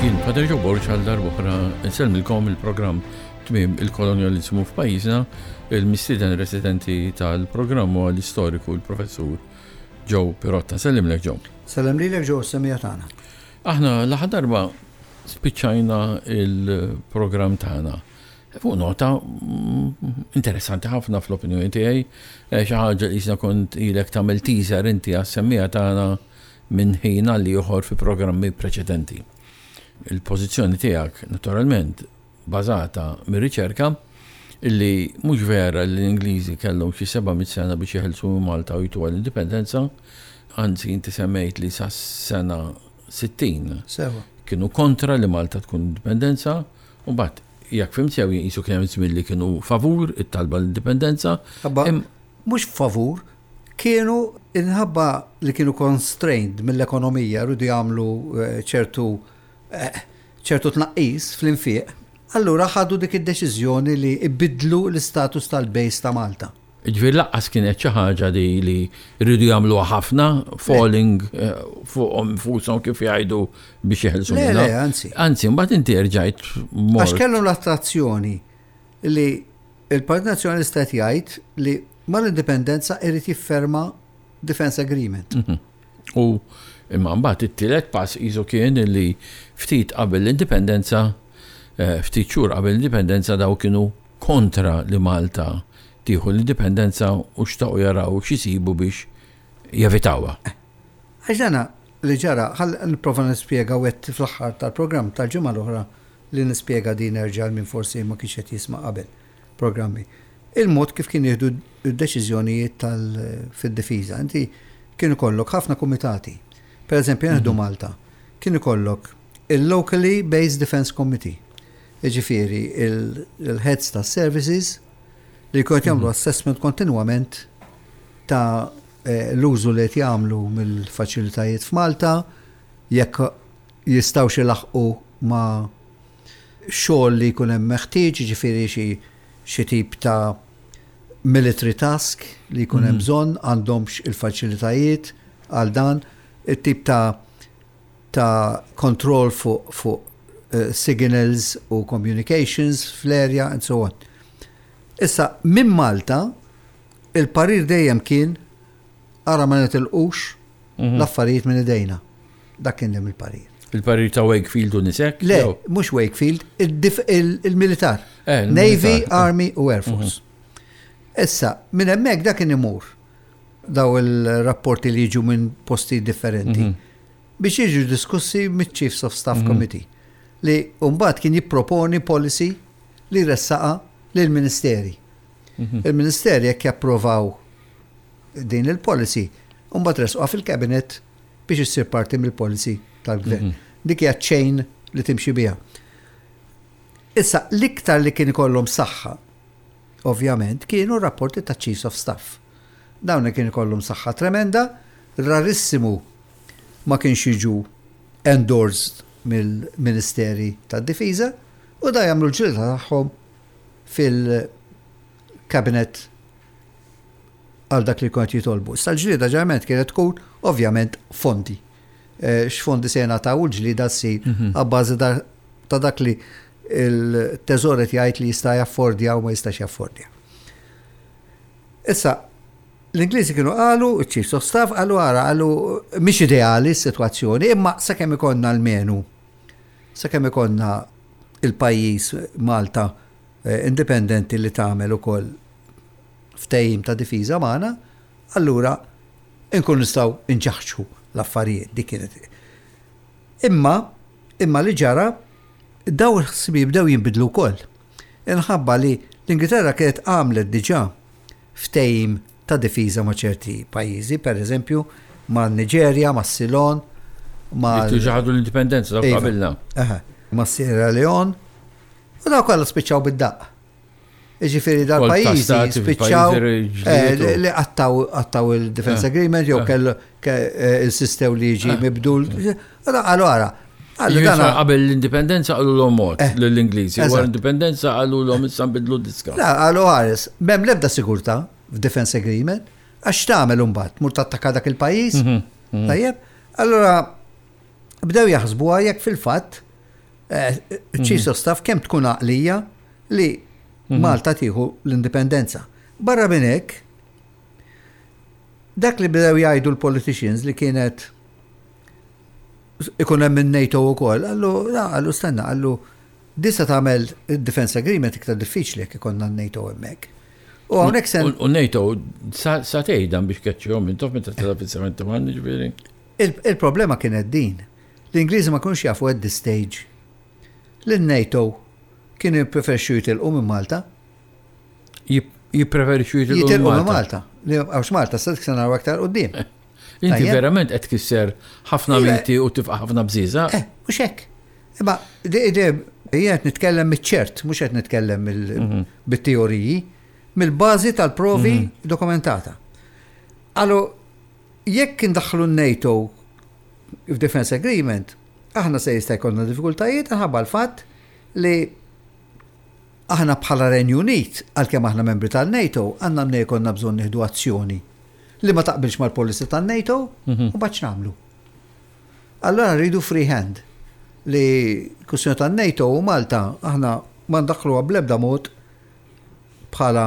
Jien Pater Joe Borg għal darb'oħra nsellmilkom il-programm Tmiem il-Kolonjaliżmu f'pajjiżna, il-mistieden residenti tal-programm huwa l-istoriku l-Professur Joe Pirotta. Sellimlek Joe. Sellem lilek Joe s-semija tagħna. Aħna l-aħħar darba spiċċajna il-programm tagħna fuq nota interessanti ħafna fl-opinjoni tiegħi, eh, xi ħaġa li jisna kont ilek tagħmel teaser inti għas-semmija tagħna minn ħin għal ieħor fi programmi preċedenti. Il-pożizzjoni tiegħek naturalment bażata mir-riċerka illi mhux vera li l-Ingliżi kellhom xi 700 sena biex jeħilsu minn Malta u jtuha l-indipendenza, anzi inti semmejt li sas-sena 60 Sewa. kienu kontra li Malta tkun indipendenza, u mbagħad jekk fhimt sew qisu kien hemm żmien li kienu favur it-talba l-indipendenza. Ħabba mhux favur, kienu inħabba li kienu constrained mill-ekonomija rridu jagħmlu eh, ċertu eh, ċertu tnaqqis fl-infiq, allura ħadu dik id-deċiżjoni li ibiddlu l-istatus tal-base ta' Malta. Ġifieri lanqas kienet xi ħaġa li li rridu jagħmluha ħafna, falling eh, fuqhom infushom kif jgħidu biex jeħilsu Le, minnha. le, anzi. Anzi, mbagħad inti rġajt mort. Għax kellhom l-attrazzjoni li il-Partit Nazzjonalista qed jgħid li mal-indipendenza irid jifferma Defense Agreement. U imma mbagħad it-tielet pass qisu kien li ftit qabel l-indipendenza, eh, ftit xhur qabel l-indipendenza daw kienu kontra li Malta tieħu l-indipendenza u xtaqu jaraw x'isibu biex jevitawha. Għax dana li ġara, ħall nipprova nispjega u għedt fl-aħħar tal-programm tal-ġimgħa l-oħra li nispjega din erġa' għal min forsi ma kienx qed jisma' qabel programmi. Il-mod kif kien jieħdu d-deċiżjonijiet tal fid-difiża. Inti kien ikollok ħafna kumitati. Per eżempju, nieħdu Malta. Kien ikollok il-Locally Based Defence Committee. Jiġifieri il-heads ta' services li jkunu qed jagħmlu assessment kontinwament ta' eh, l-użu li qed jagħmlu mill-faċilitajiet f'Malta, jekk jistgħux ilaħqu ma' xogħol li jkun hemm meħtieġ, jiġifieri xi xi tip ta' military task li jkun hemm bżonn, għandhomx il-faċilitajiet għal dan, it-tip ta' ta' kontroll fuq fuq eh, signals u communications fl-area and so on. Issa, minn Malta, il-parir dejjem kien ara ma nitilqux l-affarijiet minn idejna. Dak kien dejjem il-parir. Il-parir ta' Wakefield u nisek? Le, mhux Wakefield, il-militar. Eh, il-militar. Navy, Army u Air Force. Issa, minn hemmhekk dak kien imur daw il-rapporti li jiġu minn posti differenti biex jiġu diskussi mit-Chiefs of Staff Committee li mbagħad kien jipproponi policy li ressaqa lill-ministeri. Il-ministeri jekk japprovaw din il-policy, mbagħad resquha fil-cabinet biex issir parti mill-policy tal-gvern. Dik hija chain li timxi biha. Issa, l-iktar li kien ikollhom saħħa, ovvjament, kienu rapporti ta' Chiefs of Staff. Dawn kien ikollhom saħħa tremenda, rarissimu ma kienx jiġu endorsed mill-Ministeri tad-Difiża u da jagħmlu l-ġlieda tagħhom fil-cabinet għal dak li kont jitolbu. Issa l-ġlieda ġeneralment kienet tkun ovvjament fondi. Eh, x'fondi se jingħataw u l-ġlieda ssir abbażi ta' dak li il-teżor qed jgħid li jista' jaffordja u ma jistax jaffordja. Issa, l-Ingliżi kienu qalu, il-Chiefs of Staff qalu ara, qalu mhix ideali s-sitwazzjoni, imma sakemm ikollna l-menu, sakemm ikollna il-pajjiż Malta eh, indipendenti li tagħmel ukoll ftehim ta' difiża magħna, allura nkun nistgħu nġaħġħu l-affarijiet dik kienet. Imma, imma li ġara, daw il-ħsibijiet bdew jinbidlu wkoll. Inħabba li l-Ingilterra kienet għamlet diġà ftehim ta' difiża ma' ċerti pajjiżi, per eżempju, ma' Niġerja, ma' Ceylon, ma' Li ħadu l-indipendenza dawk Iva. qabilna. Aha, ma' Sierra Leone, u daw kollha spiċċaw bid-daqq. Ġifieri dal-pajjiżi stati spiċċaw fil-pajjiżi eh, ġlietu. li qattaw qattaw il-Defense Eh, Agreement jew eh. kellu ke- eh, insistew li jiġi mibdul. Qalu ara, qalu Ġifieri dana Qabel l-indipendenza qalu l-om mod Eh, lill-Ingliżi. Wara eżatt. l-indipendenza qalu l-om issa nbidlu diska. La, qalu ħares, m'hemm l-ebda sigurtà f'Defense Agreement, għax tagħmel imbagħad, mur tattakka dak il-pajjiż. Tajjeb, allura bdew jaħsbuha jekk fil-fatt Chiefs of Staff kemm tkun għaqlija li Malta tieħu l-indipendenza. Barra minn hekk, dak li bdew jgħidu l-politicians li kienet ikun hemm in-NATO wkoll, qallu, qallu stenna, qallu din se tagħmel id-defense agreement iktar diffiċli jekk ikollna n-NATO hemmhekk. U hawnhekk se. U NATO sa tgħid dan biex keċċihom intom meta tela fis-71 ġifieri. Il-problema kienet din. L-Ingliżi ma kinux jafu at this stage li n-NATO kienu jippreferixxu jitilqu minn Malta. Jippreferixxu jitilqu minn Malta. Li għax Malta se naraw aktar quddiem. Inti verament qed tkisser ħafna miti u tifqa' ħafna bżieża. Eh, mhux hekk. Imma jien qed nitkellem miċ-ċert, mhux qed nitkellem bit-teoriji, mill-bażi tal-provi dokumentata. Allu, jekk indaħħlu n-NATO f'Defense Agreement, aħna se jista' jkollna diffikultajiet minħabba l-fatt li aħna bħala Renju Unit, għalkemm aħna membri tal-NATO, għandna mnejn jkollna bżonn nieħdu azzjoni li ma taqbilx mal-policy tan-NATO u mbagħad x'nagħmlu? Allura rridu free hand li kwistjoni tan-NATO u Malta aħna ma ndaħħluha bl-ebda mod bħala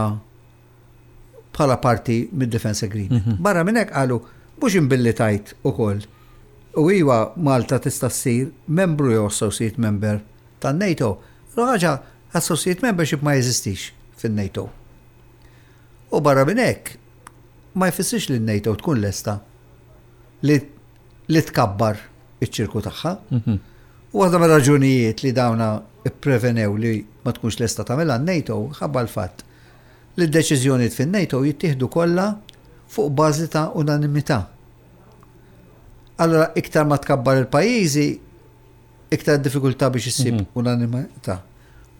bħala parti mid-Defense Agreement. Barra minn hekk qalu mhux imbilli tajt ukoll u iwa Malta tista' ssir membru jew associate member tan-NATO. Ħaġa associate membership ma jeżistix fin-NATO. U barra minn hekk ma jfissirx li n-NATO tkun lesta li li tkabbar iċ-ċirku tagħha. U waħda mir-raġunijiet li dawna pprevenew li ma tkunx lesta tagħmilha n-NATO ħabba l-fatt li d-deċiżjonijiet fin-NATO jittieħdu kollha fuq bażi ta' unanimità. Allura iktar ma tkabbar il-pajjiżi, iktar diffikultà biex issib unanimità.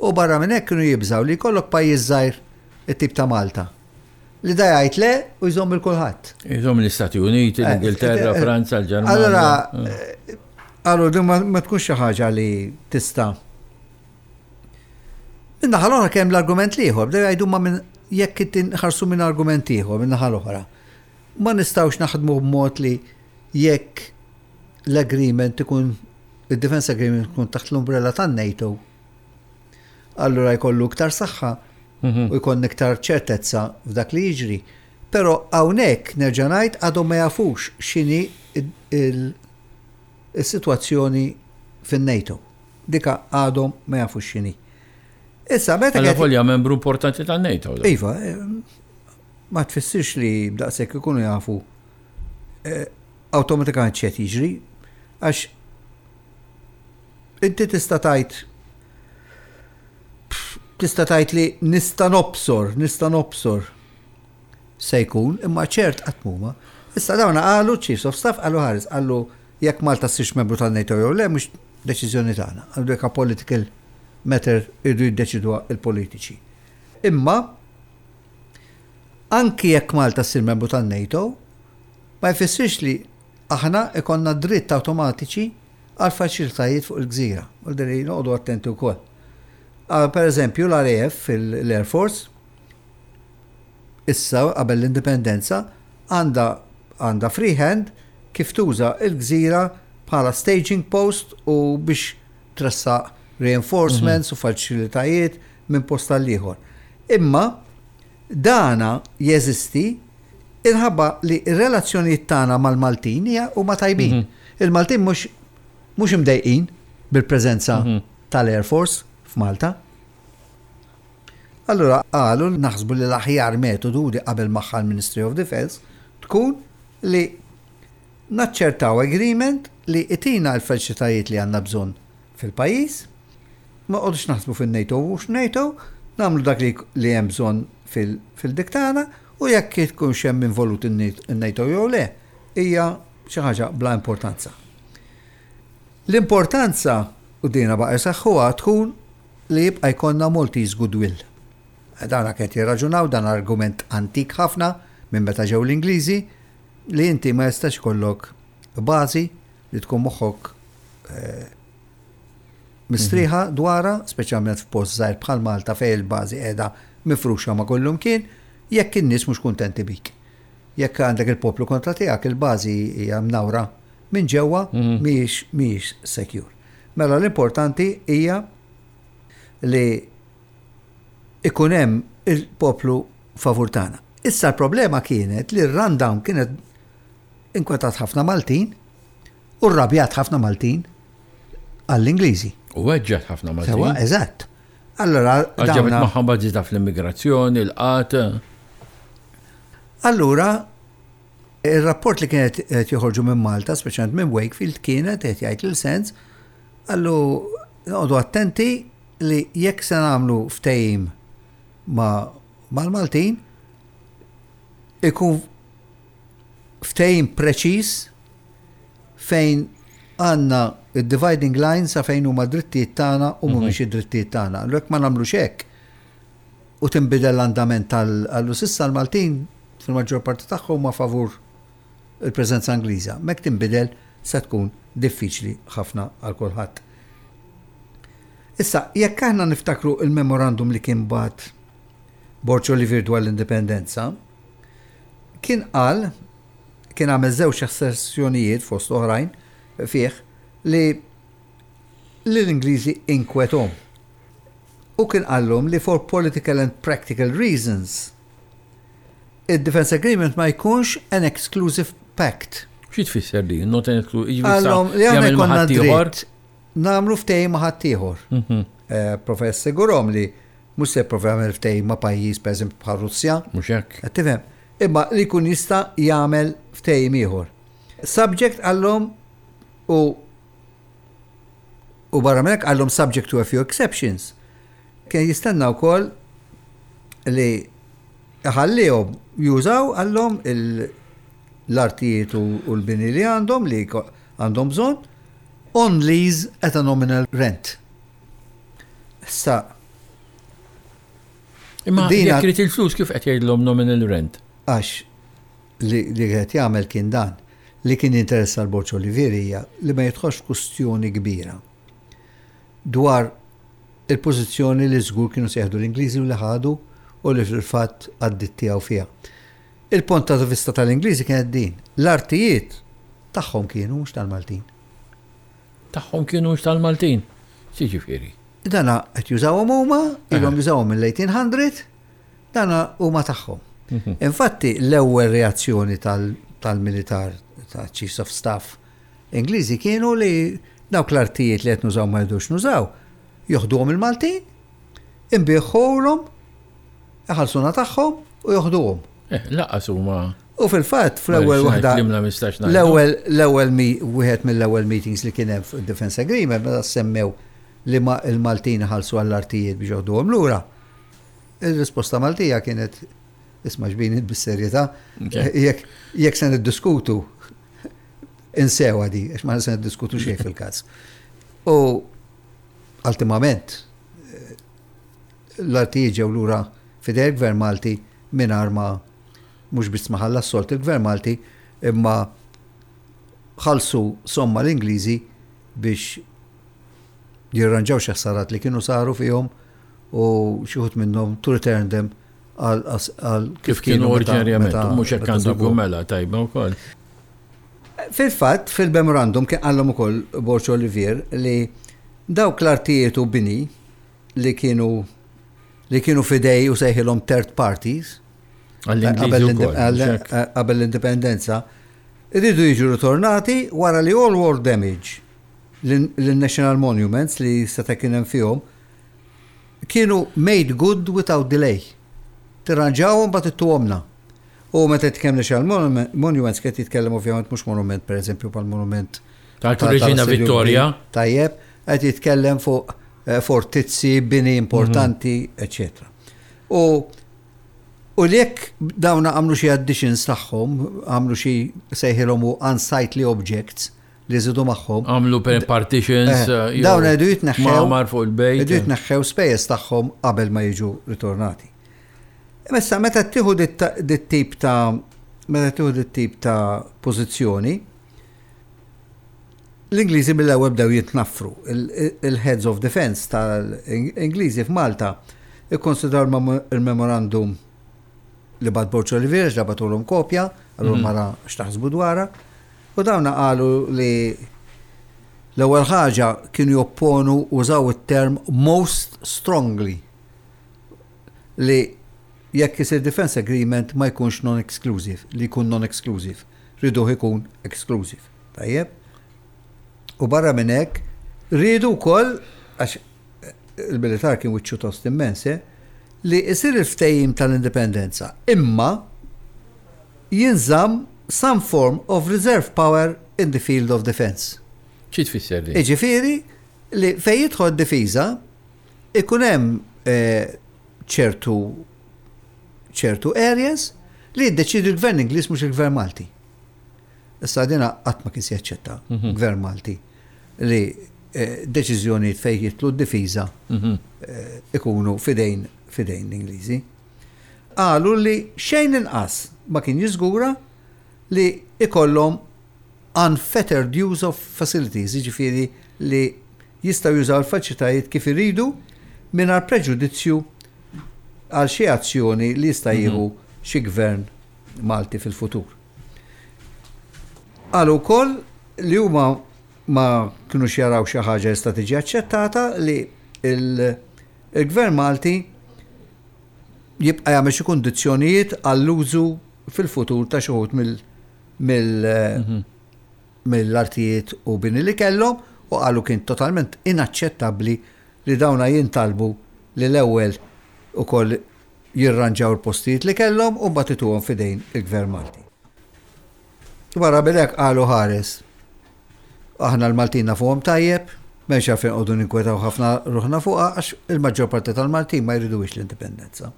U barra minn hekk kienu jibżgħu li jkollok pajjiż żgħir it-tip ta' Malta. Li da jgħid le u jżomm il kulħadd. Jżomm l-Istati Uniti, l-Ingilterra, Franza, l-Ġermanja. Allora, allora din ma tkunx xi ħaġa li tista' Min-naħa l-oħra kemm l-argument l-ieħor, bdew jgħidu ma minn jekk inħarsu minn argument ieħor min-naħa l-oħra. Ma nistgħux naħdmu b'mod li jekk l-agreement ikun id-defense agreement ikun taħt l-umbrella tan-NATO, allura jkollu iktar saħħa u jkun iktar ċertezza f'dak li jiġri. Però hawnhekk nerġa' ngħid għadhom ma jafux x'inhi il-sitwazzjoni fin-NATO. Dika għadhom ma jafux x'inhi. Issa meta Alla volja membru importanti tan-NATO. Iva, ma tfissirx li b'daqshekk ikunu jafu awtomatikament x'qed jiġri, għax inti tista' tgħid tista' tgħid li nista' nobsor, nista' nobsor se jkun, imma ċert qatt m'huma. Issa dawna qalu Chiefs of Staff qalu ħares, qalu jekk Malta ssirx membru tan-NATO jew le mhux deċiżjoni tagħna. Qalu dik political matter irridu jiddeċiduha il-politiċi. Imma anki jekk Malta ssir membru tan-NATO, ma jfissirx li aħna ikonna dritt awtomatiċi għal faċilitajiet fuq il-gżira. U li noqogħdu attenti wkoll. Per eżempju, l-RAF, l-Air Force, issa qabel l-indipendenza, għandha għandha free hand kif tuża l-gżira bħala staging post u biex tressaq reinforcements u faċilitajiet minn post għal ieħor. Imma dana jeżisti inħabba li r-relazzjonijiet tagħna mal-Maltin hija huma tajbin. Il-Maltin mhux mhux imdejqin bil-preżenza tal-Air Force f'Malta. Allura qalu naħsbu li l-aħjar metodu li qabel magħha l-Ministry of Defence tkun li naċċertaw agreement li itina l-faċilitajiet li għandna bżonn fil-pajjiż, ma noqogħdux naħsbu fin-NATO u mhux NATO, nagħmlu dak li li hemm bżonn fil-dik tagħna u jekk ikunx hemm involut in-NATO jew le, hija xi ħaġa bla importanza. L-importanza, u dina baqa' jsaħħuha, tkun li jibqa' jkollna Maltese goodwill. Dana kien jirraġunaw dan argument antik ħafna minn meta ġew l-Ingliżi li inti ma jistax ikollok bażi li tkun moħħok mistrieħa dwarha, speċjalment f'post żgħir bħal Malta fejn il-bażi qiegħda mifruxa ma' kullumkien, jekk in-nies mhux kuntenti bik. Jekk għandek il-poplu kontra tiegħek, il-bażi hija mnawra minn ġewwa mhijiex mhijiex secure. Mela l-importanti hija li ikun hemm il-poplu favur tagħna. Issa l-problema kienet li r-rundown kienet inkwetat ħafna Maltin u rrabjat ħafna Maltin għall-Ingliżi. U weġġat ħafna Maltin. Sewa, eżatt. Allora, ġabet magħhom bażita fl-immigrazzjoni, l-qat. Allura, il-rapport li kienet qed joħorġu minn Malta, speċjalment minn Wakefield, kienet qed jgħid lil sens, għallu noqogħdu attenti li jekk se nagħmlu ftehim ma' mal-Maltin, ikun ftehim preċiż fejn għandna id-dividing line sa fejn huma drittijiet tagħna u mhumiex id-drittijiet tagħna. Allura jekk ma nagħmlux hekk u tinbidel l-andament tal s'issa l-Maltin fil-maġġor parti tagħhom huma favur il-preżenza Ingliża. Mek tinbidel se tkun diffiċli ħafna għal kulħadd. Issa, jekk aħna niftakru il-memorandum li kien bagħat Borg Olivier dwar l-indipendenza, kien qal, kien għamel żewġ asserzjonijiet fost oħrajn fih li l-Ingliżi inkwetahom. U kien qallhom li for political and practical reasons il-Defense Agreement ma jkunx an exclusive pact. Xi tfisser di? Not an exclusive. Qallhom li aħna jkollna dritt nagħmlu ftehim ma' ħaddieħor. Prova jassigurhom li mhux se jipprova jagħmel ftehim ma' pajjiż pereżempju bħal Russja. Mhux hekk. Qed tifhem? Imma li jkun jista' jagħmel ftehim ieħor. Subject qallhom u u barra minn hekk qallhom subject to a few exceptions. Kien jistenna wkoll li iħallihom jużaw qallhom l-artijiet u l-bini li għandhom li għandhom bżonn on lease at a nominal rent. Issa Imma jekk irid il-flus kif qed jgħidlhom nominal rent? Għax li qed jagħmel kien dan li kien jinteressa l-Borg Olivier hija li ma jidħolx f'kustjoni kbira dwar il-pożizzjoni li żgur kienu se jieħdu l-Ingliżi u li ħadu u li fil-fatt għaddiet tiegħu fiha. Il-punt ta' vista tal-Ingliżi kienet din. L-artijiet tagħhom kienu mhux tal-Maltin. Tagħhom kienu mhux tal-Maltin. Xiġifieri? Dana qed jużawhom huma, ilhom jużawhom mill-1800, dana huma tagħhom. Infatti l-ewwel reazzjoni tal-militar ta' Chiefs of Staff Ingliżi kienu li dawk l-artijiet li qed nużaw ma jridux nużaw, joħduhom il-Maltin, inbiħħulhom, iħallsuna tagħhom u joħduhom. Lanqas huma. U fil-fatt fl-ewwel waħda. L-ewwel l-ewwel wieħed mill-ewwel meetings li kien hemm fuq Defense Agreement meta semmew li ma il-Maltin ħallsu għall-artijiet biex joħduhom lura. Il-risposta Maltija kienet isma' xbin bis-serjetà jekk se niddiskutu insewa di, għax ma se niddiskutu xejn fil-każ. U ultimament l-artijiet ġew lura f'idej il-Gvern Malti mingħajr ma mhux biss ma ħallas sold il-Gvern Malti imma ħallsu somma l-Ingliżi biex jirranġaw xi ħsarat li kienu saru fihom u xi wħud minnhom to return them għal kif kienu oriġinarjament, mhux hekk għandu jkun mela tajba wkoll. Fil-fatt, fil-memorandum kien qallhom ukoll Borg Olivier li dawk l-artijiet u bini li kienu li kienu f'idej u sejħilhom third parties qabel l-indipendenza, iridu jiġu ritornati wara li all war damage lin-national monuments li seta' kien hemm fihom kienu made good without delay. Tirranġawhom mbagħad ittuhomna. U meta jitkellem national monuments qed jitkellem ovvjament mhux monument pereżempju bħal monument tal-Reġina Vittoria. Tajjeb, qed jitkellem fuq fortizzi, bini importanti, eccetera. U u li jekk dawna għamlu xi additions tagħhom, għamlu xi sejħilhom u unsightly objects li żidu magħhom. Għamlu per partitions. Dawn jridu jitneħħew. Mamar fuq il-bejt. Jridu jitneħħew spejjeż tagħhom qabel ma jiġu ritornati. Issa meta tieħu dit tip ta' meta tieħu dit tip ta' pożizzjoni, l-Ingliżi mill-ewwel bdew jitnaffru. Il-Heads of Defense tal-Ingliżi f'Malta ikkonsidraw il-memorandum li bagħat Borg Olivier, ġabatulhom kopja, għallu mara x'taħsbu dwarha, u dawna qalu li L-ewwel ħaġa kienu jopponu użaw it-term most strongly li jekk isir defense agreement ma jkunx non-exclusive, li jkun non-exclusive. Riduh ikun exclusive. Tajjeb? U barra minn hekk, riedu wkoll, għax il-militar kien wiċċu tost immens, eh, li isir il-ftehim tal-indipendenza, imma jinżamm some form of reserve power in the field of defense. Xi tfisser din? Jiġifieri li fejn jidħol difiża ikun hemm eh, ċertu ċertu areas li jiddeċidi l-gvern Ingliż mhux il-gvern Malti. Issa dina qatt ma kien se jaċċetta mhm. gvern Malti li eh, deċiżjonijiet fejn jidħlu d-difiża mhm. eh, ikunu fidejn fidejn l-Ingliżi. Qalu li xejn inqas ma kien jiżgura li ikollhom unfettered use of facilities, jiġifieri li jistgħu jużaw il-faċilitajiet kif iridu mingħajr preġudizzju għal xi azzjoni li jista' jieħu xi gvern Malti fil-futur. Qalu wkoll li huma ma kinux jaraw xi ħaġa li tista' tiġi aċċettata li l-gvern Malti jibqa' jagħmel xi kundizzjonijiet għall-użu fil-futur ta' xi wħud mill-artijiet u bini li kellhom u qalu kien totalment inaċċettabbli li dawna jintalbu li l-ewwel ukoll jirranġaw il-postijiet li kellhom u mbagħad ituhom f'idejn il-Gvern Malti. Wara minn hekk qalu ħares. Aħna l-Maltin nafuhom tajjeb, m'hemmx għalfejn noqogħdu ninkwetaw ħafna ruħna fuqha għax il-maġġor parti tal-Maltin ma jridux l-indipendenza.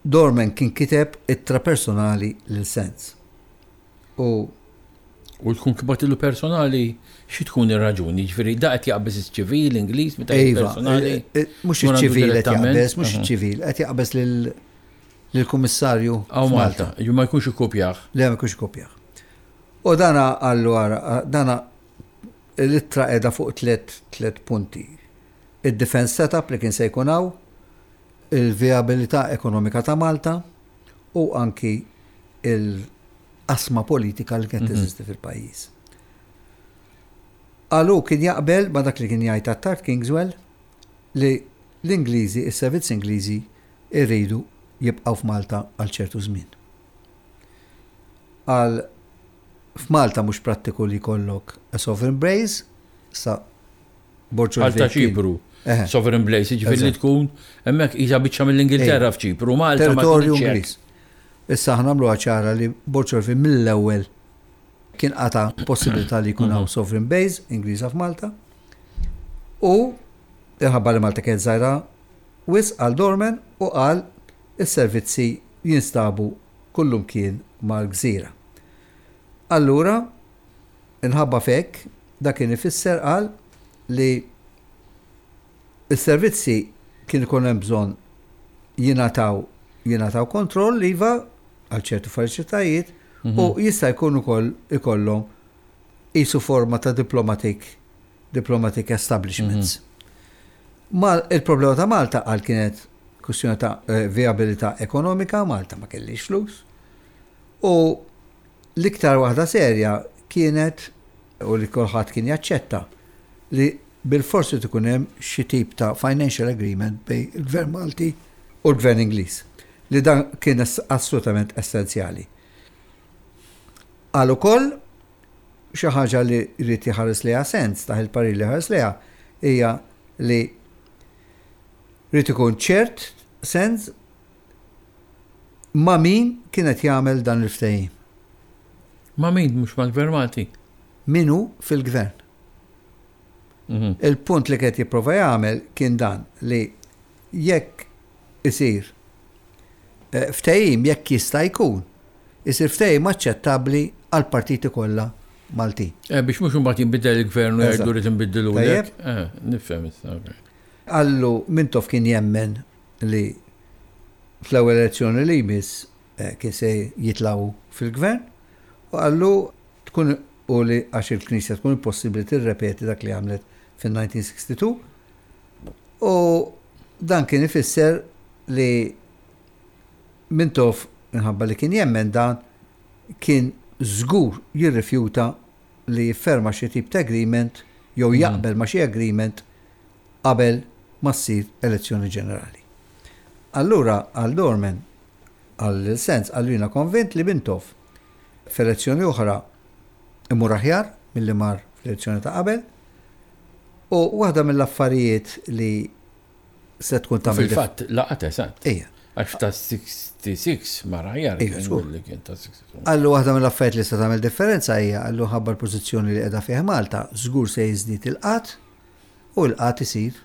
Dorman kien kiteb ittra personali lil Sands. U U tkun kbatilu personali, xi tkun ir-raġuni? Ġifieri da qed jaqbeż iċ-ċivil Ingliż meta iva, personali. Eh, eh, mhux iċ-ċivil qed jaqbeż, mhux iċ-ċivil, qed jaqbeż lill-kummissarju. Hawn Malta, ju ma jkunx ikkopjah. Le ma jkunx ikkopjah. U dana qallu ara, dana l-ittra qiegħda fuq tlet punti. Id-defense setup li kien se jkun hawn, il-vijabilità ekonomika ta' Malta u anki il-qasma politika li kienet teżisti fil-pajjiż. Qalu kien jaqbel ma' dak li kien jgħid Attard Kingswell li l-Ingliżi, is-servizzi Ingliżi jridu jibqgħu f'Malta għal ċertu żmien. Qal f'Malta mhux prattiku li jkollok a sovereign base, sa Borg Għal ta' Ċipru. Sovereign base, jiġifieri li tkun hemmhekk qisha biċċa mill-Ingilterra f'Ċipru, Malta ma Territorju Ingliż. Issa aħna nagħmluha ċara li Borg Olvin mill-ewwel kien qata' possibilità li jkun hawn sovereign base Ingliża f'Malta. U minħabba li Malta kienet żgħira wisq għal Dorman u qal is-servizzi jinstabu kullumkien mal-gżira. Allura, inħabba f'hekk, dak kien ifisser qal li s-servizzi kien ikun hemm bżonn jingħataw jingħataw kontroll iva għal ċertu faċilitajiet u jista' jkun ukoll ikollhom qisu forma ta' diplomatic diplomatic establishments. Ma il-problema ta' Malta qal kienet kwistjoni ta' viabilità ekonomika, Malta ma kellix flus. U l-iktar waħda serja kienet u li kulħadd kien jaċċetta li bilfors irid ikun hemm xi tip ta' financial agreement bejn il-Gvern Malti u l-Gvern Ingliż, li dan kien assolutament essenzjali. Qal ukoll xi ħaġa li jrid jħares lejha sens, taħ il-parir li ħares lejha hija li jrid ikun ċert sens ma' min kien qed jagħmel dan il-ftehim. Ma' min mhux mal-Gvern Malti? Min hu fil-gvern. Mhm. Il-punt li qed jipprova jagħmel kien dan li jekk isir eh, ftehim jekk jista' jkun, isir ftehim aċċettabbli għall partiti kollha Maltin. Eh, biex mhux imbagħad jinbidel il-gvern u jgħidu rrid inbiddilu. Eh, nifhem issa. Qallu Mintoff kien jemmen li fl-ewwel elezzjoni li jmiss eh, kien se jitlgħu fil-gvern u qallu tkun u li għax il-Knisja tkun impossibbli tirrepeti dak li għamlet fin-1962 u dan kien ifisser li Mintoff minħabba li kien jemmen dan kien żgur jirrifjuta li jifferma xi tip ta' agreement jew jaqbel ma' xi agreement qabel ma ssir elezzjoni ġenerali. Allura għal Dorman, qal lil Sands, qallu jiena konvint li Mintoff f'elezzjoni oħra imur aħjar milli mar fl-elezzjoni ta' qabel u waħda mill-affarijiet li se tkun tagħmel. Fil-fatt laqat eżatt. Ejja. Għax ta' 66 mar aħjar li kien ta' 62. Qallu waħda mill-affarijiet li se tagħmel differenza hija qallu ħabba l-pożizzjoni li qiegħda fih Malta, żgur se jiżdied il-qgħad u l-qgħad isir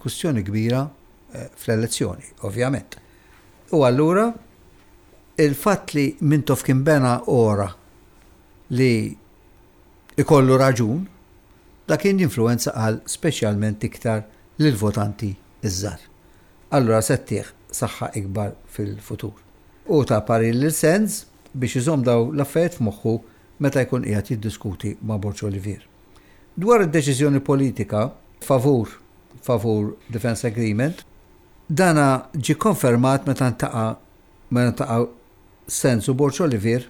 kwistjoni kbira eh, fl-elezzjoni, ovvjament. U allura il-fatt li Mintoff kien bena ora li ikollu raġun, dak kien jinfluwenza qal speċjalment iktar lill-votanti ż-żgħar. Allura se ttih saħħa ikbar fil-futur. Hu ta parir lil Sands biex iżomm dawn l-affarijiet f'moħħu meta jkun qiegħed jiddiskuti ma' Borg Olivier. Dwar id-deċiżjoni politika favur favur Defence Agreement, dana ġie konfermat meta ntaqa' meta ntaqgħu Sands u Borg Olivier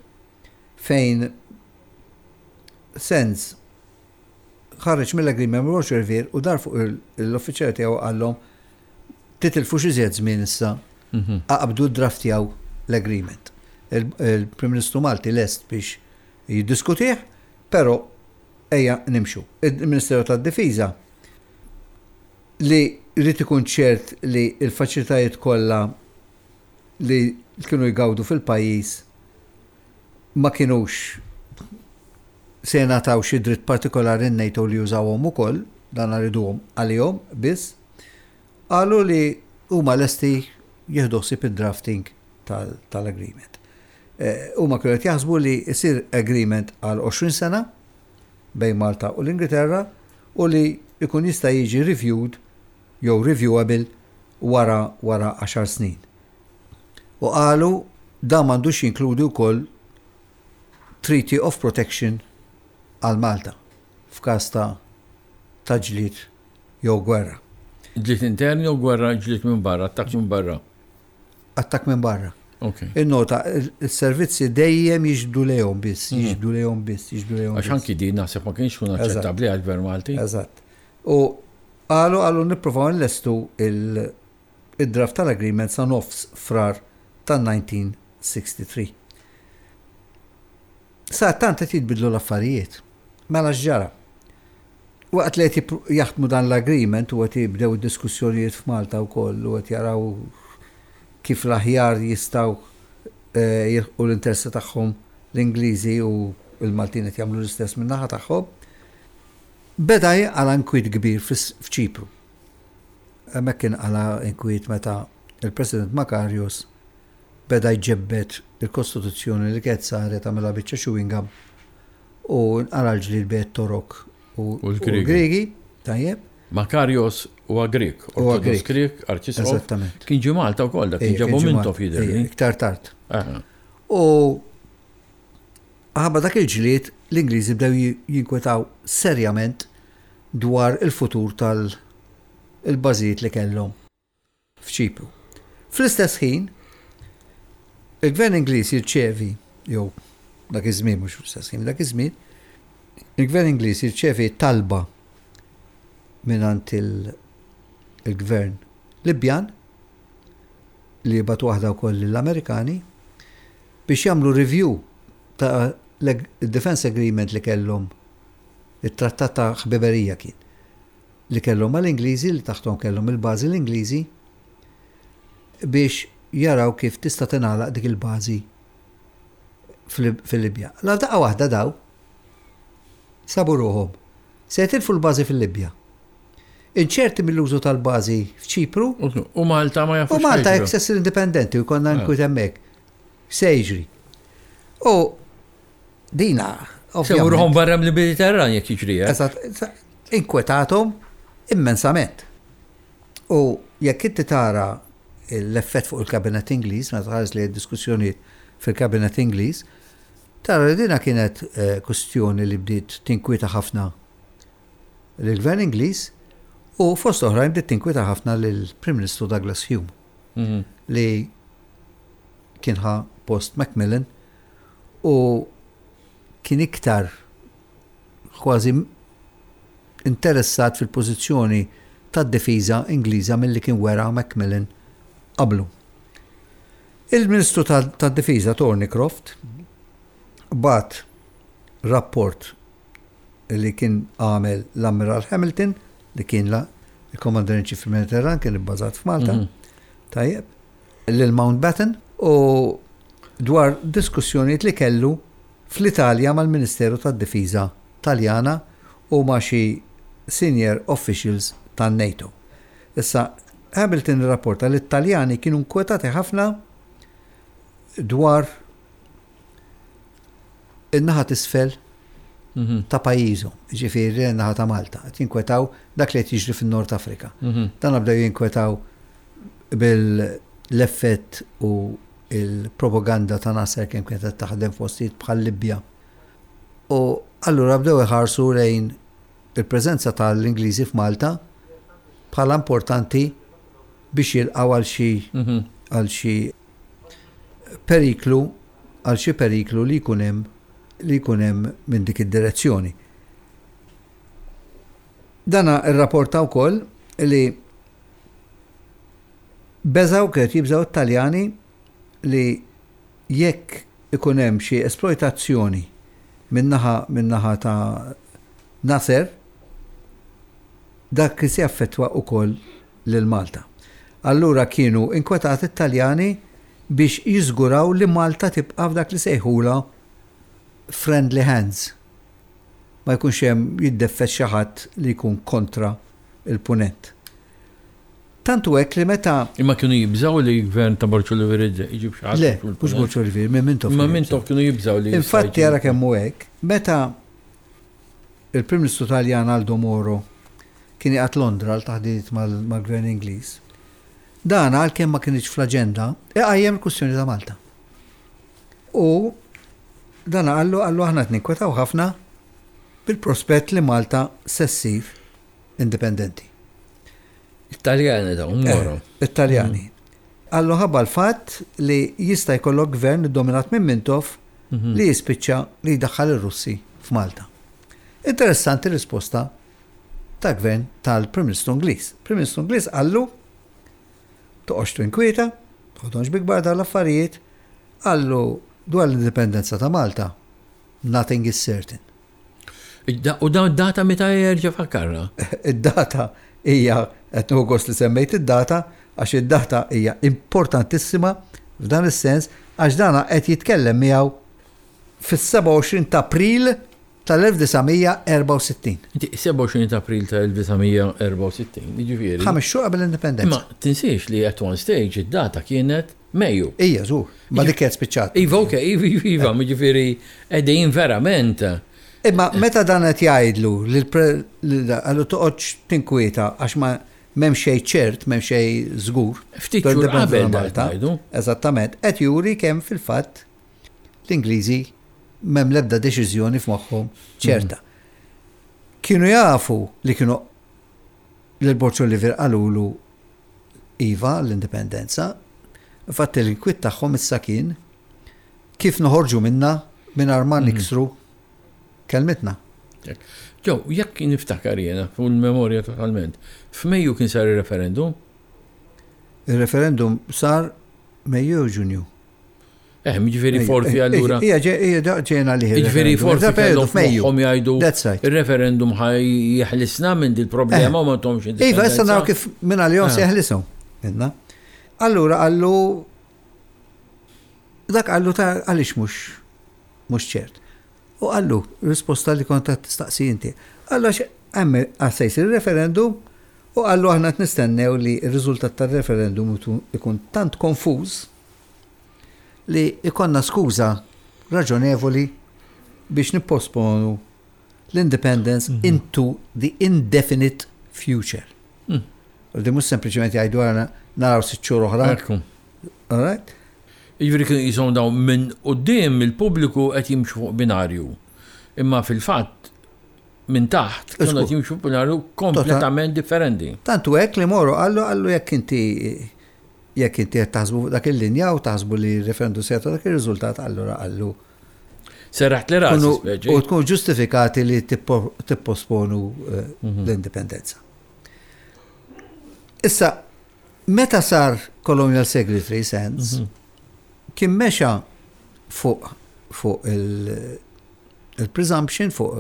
fejn Sands ħareġ mill-agreement ma' Borg Olivier u dar fuq l-uffiċjali tiegħu qallhom titilfux iżjed żmien issa aqbdu ddraftjaw l-agreement. Il-Prim Ministru Malti lest biex jiddiskutih, però ejja nimxu. Il-Ministeru tad-Difiża li jrid ikun ċert li l-faċilitajiet kollha li kienu jgawdu fil-pajjiż ma kinux se jingħataw xi dritt partikolari n-NATO li jużawhom ukoll, dan riduhom għalihom biss, qalu li huma lesti jieħdu ħsieb id-drafting tal-agreement. Huma kienu qed jaħsbu li jsir agreement għal 20 sena bejn Malta u l-Ingilterra u li jkun jista' jiġi reviewed jew reviewable wara wara għaxar snin. U qalu dan m'għandux jinkludi wkoll Treaty of Protection għal Malta f'każ ta' ta' ġlied jew gwerra. Ġlied intern jew gwerra ġlied minn barra, attakk minn barra? Attakk minn barra. Okay. Innota, il-servizzi dejjem jiġbdu lejhom biss, mhm. jiġbdu lejhom biss, jiġbdu lejhom. Għax anki din naħseb ma kienx kun aċċettabbli għall-Gvern Malti. Eżatt. U qalu qalu nippruvaw nlestu il-draft tal-agreement sa nofs Frar tan-1963. Sa tant qed jitbidlu l-affarijiet. Mela x'ġara? Waqt li qed jaħdmu dan l-agreement u qed jibdew id-diskussjonijiet f'Malta wkoll u qed jaraw kif l-aħjar jistgħu eh, jilħqu l-interessi tagħhom l-Ingliżi u l-Maltin qed jagħmlu l-istess min-naħa tagħhom, beda jinqala' inkwiet kbir f'Ċipru. Hemmhekk kien qala' inkwiet meta il-President Makarios beda jġebbed il-Kostituzzjoni li kienet saret għamilha biċċa chewing gum u nqala' l-ġlied bejn it-Torok u l-Griegi. Tajjeb. Makarios huwa Grieg, Ortodoss Grieg, Arċisqof. Eżattament. Kien ġie Malta wkoll dak, kien ġabu Mintoff jidhirli. Iktar tard. U ħabba dak il-ġlied l-Ingliżi bdew jinkwetaw serjament dwar il-futur tal-bażijiet li kellhom f'Ċipru. Fl-istess ħin, il-Gvern Ingliż jirċevi, jew dak iż-żmien mhux fl-istess ħin, dak iż-żmien, il-Gvern Ingliż jirċevi talba mingħand il-Gvern Libjan li jibgħat waħda wkoll lill-Amerikani biex jagħmlu review ta' l-Defense Agreement li kellhom it-trattat ta' ħbiberija kien li kellhom mal-Ingliżi li taħthom kellhom il-bażi l-Ingliżi biex jaraw kif tista' tingħalaq dik il-bażi fil-Libja. La daqqa waħda daw sabu ruħhom se jitilfu l-bażi fil-Libja. Inċerti mill-użu tal-bażi f'Ċipru. U Malta ma jafux. U Malta jekk se ssir indipendenti u jkollna ah. nkwiet hemmhekk. Se jiġri. U dina. Se ruħhom barra mill-Mediterran jekk jiġri. Eh? Eżatt, inkwetathom immensament. U jekk inti tara l-effett fuq il-Kabinet Ingliż, meta tħares li diskussjonijiet fil-Kabinet Ingliż, tara li dina kienet eh, kustjoni li bdiet tinkwieta ħafna lill-Gvern Ingliż u fost oħrajn bdiet tinkwieta ħafna lill-Prim Ministru Douglas Hume mhm. li kien ħa post Macmillan u kien iktar kważi interessat fil-pożizzjoni tad-difiża Ingliża milli kien wera Macmillan qablu. Il-Ministru tad-Difiża Thornycroft bagħat rapport li kien għamel l-Ammiral Hamilton li kien il-Commander in Chief fil-Mediterran kien ibbażat f'Malta. Tajjeb. Lil Mountbatten u dwar diskussjonijiet li kellu fl-Italja mal-Ministeru tad-Difiża Taljana u ma' xi senior officials tan-NATO. Issa, Hamilton irrapporta li t-Taljani kienu nkwetati ħafna dwar in-naħa t'isfel ta' pajjiżhom, jiġifieri n-naħa ta' Malta, qed jinkwetaw dak li qed jiġri fin-Nord Afrika. Dan bdew jinkwetaw bil-effett u il-propaganda ta' Nasser kemm kienet qed taħdem f'postijiet bħal Libja. U allura bdew iħarsu lejn il-preżenza tal-Ingliżi f'Malta bħala importanti biex jilqgħu għal xi għal xi periklu għal xi periklu li jkun hemm li jkun hemm minn dik id-direzzjoni. Dana rrapporta wkoll li beżgħu kienet jibżgħu t-Taljani li jekk ikun hemm xi esploitazzjoni min-naħa min-naħa ta' Nasser, dak kien se jaffettwa wkoll lil Malta. Allura kienu inkwetati t-Taljani biex jiżguraw li Malta tibqa' f'dak li sejħulha friendly hands. Ma jkunx hemm jiddeffes xi ħadd li jkun kontra l-Punent. Tant hu hekk li meta. Imma kienu jibżgħu li gvern ta' Borg Olivier iġib xi ħadd. Le, mhux Borg Olivier, minn Mintoff. Imma Mintoff kienu jibżgħu li. Infatti ara kemm hu hekk, meta il-Prim Ministru Taljan Aldo Moro kien qiegħed Londra għal taħdidiet mal-Gvern Ingliż, dan għalkemm ma kinitx fl-aġenda, iqajjem il-kwistjoni ta' Malta. U dan qallu qallu aħna qed ninkwetaw ħafna bil-prospett li Malta se ssir indipendenti. It-Taljani dawn Moro. Eh, it-Taljani. Qallu ħabba l-fatt li jista' jkollok gvern iddominat minn Mintoff li jispiċċa li jdaħħal ir-Russi f'Malta. Interessanti risposta ta' gvern tal-Prim Ministru Ingliż. Prim Ministru Ingliż qallu toqgħodx tinkwieta, toħodhomx bi kbar dawn l-affarijiet, qallu dwar l-indipendenza ta' Malta, nothing is certain. U dawn data meta jerġa' fakkarna? Id-data hija qed nieħu gost li semmejt id-data għax id-data hija importantissima f'dan is-sens għax dana qed jitkellem miegħu fis-27 ta' April tal-1964. Inti 27 ta' April tal-1964, jiġifieri. Ħames xhur qabel l-indipendenza. Imma tinsiex li at one stage id-data kienet Mejju. Ija, żgur. Ma dik kienet spiċċat. Iva, ok, iva, iva, iva, jiġifieri qegħdin verament. Imma meta dan qed jgħidlu qallu toqgħodx tinkwieta għax ma m'hemm xejn ċert, m'hemm xejn żgur. Ftit xhur qabel Malta. Eżattament, qed juri kemm fil-fatt l-Ingliżi m'hemm l-ebda deċiżjoni f'moħħhom ċerta. Kienu jafu li kienu lil Borg Olivier qalulu iva għall-indipendenza. Infatti l-inkwiet tagħhom issa kien kif noħorġu minnha mingħajr ma niksru kelmitna. Ġew, jekk niftakar jiena fuq il-memorja totalment, f'Mejju kien sar ir-referendum? Ir-referendum sar Mejju jew Ġunju. Eh, jiġifieri forsi eh, allura. Ija, ija, ġejna li. Jiġifieri forsi kellhom f'moħħhom jgħidu. Ir-referendum ħaj jeħlisna minn dil problema eh. u ma tomx Iva, issa naraw kif minn għalihom se eh. jeħlishom. Minna. Allura qallu dak qallu ta' għaliex mhux mhux ċert. U qallu risposta li kont qed tistaqsi inti. Qallu għax hemm se jsir referendum u qallu aħna qed nistennew li r-riżultat tar-referendum ikun tant konfuż li jkollna skuża raġonevoli biex nipposponu l-independence mhm. into the indefinite future. Mm. U di mhux sempliċement jgħidu għana naraw sitt xhur oħra. All right? Jiġifieri kienu jisom dawn minn quddiem il-pubbliku qed jimxu fuq binarju. Imma fil-fatt minn taħt kienu qed jimxu fuq binarju kompletament differenti. Tantu hekk li Moro qallu qallu jekk inti Jekk inti qed taħsbu fuq dak il-linja u taħsbu li r-referendum se jagħtu dak ir-riżultat, allura qallu. Serraħt li rasi. U tkun ġustifikati li tipposponu eh, mhm. l-indipendenza. Issa, meta sar Colonial Secretary Sands, mhm. kien mexa fuq fuq il-presumption fuq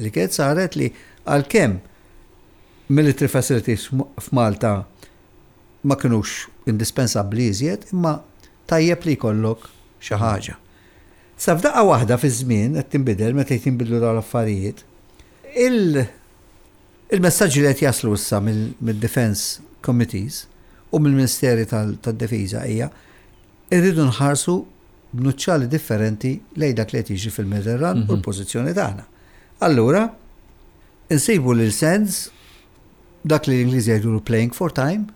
li kienet saret li għalkemm military facilities f'Malta ma kinux indispensabbli iżjed, imma tajjeb li jkollok xi ħaġa. Sa f'daqqa waħda fiż-żmien qed tinbidel meta jinbidlu dawn l-affarijiet, il-messaġġi li qed jaslu issa mid-Defence Committees u mill-Ministeri tad-Difiża hija irridu nħarsu b'nuċċali differenti lejn dak li qed jiġri fil-Mediterran u l-pożizzjoni tagħna. Allura, insibu lil Sands dak li l-Ingliżi jgħidulu playing for time,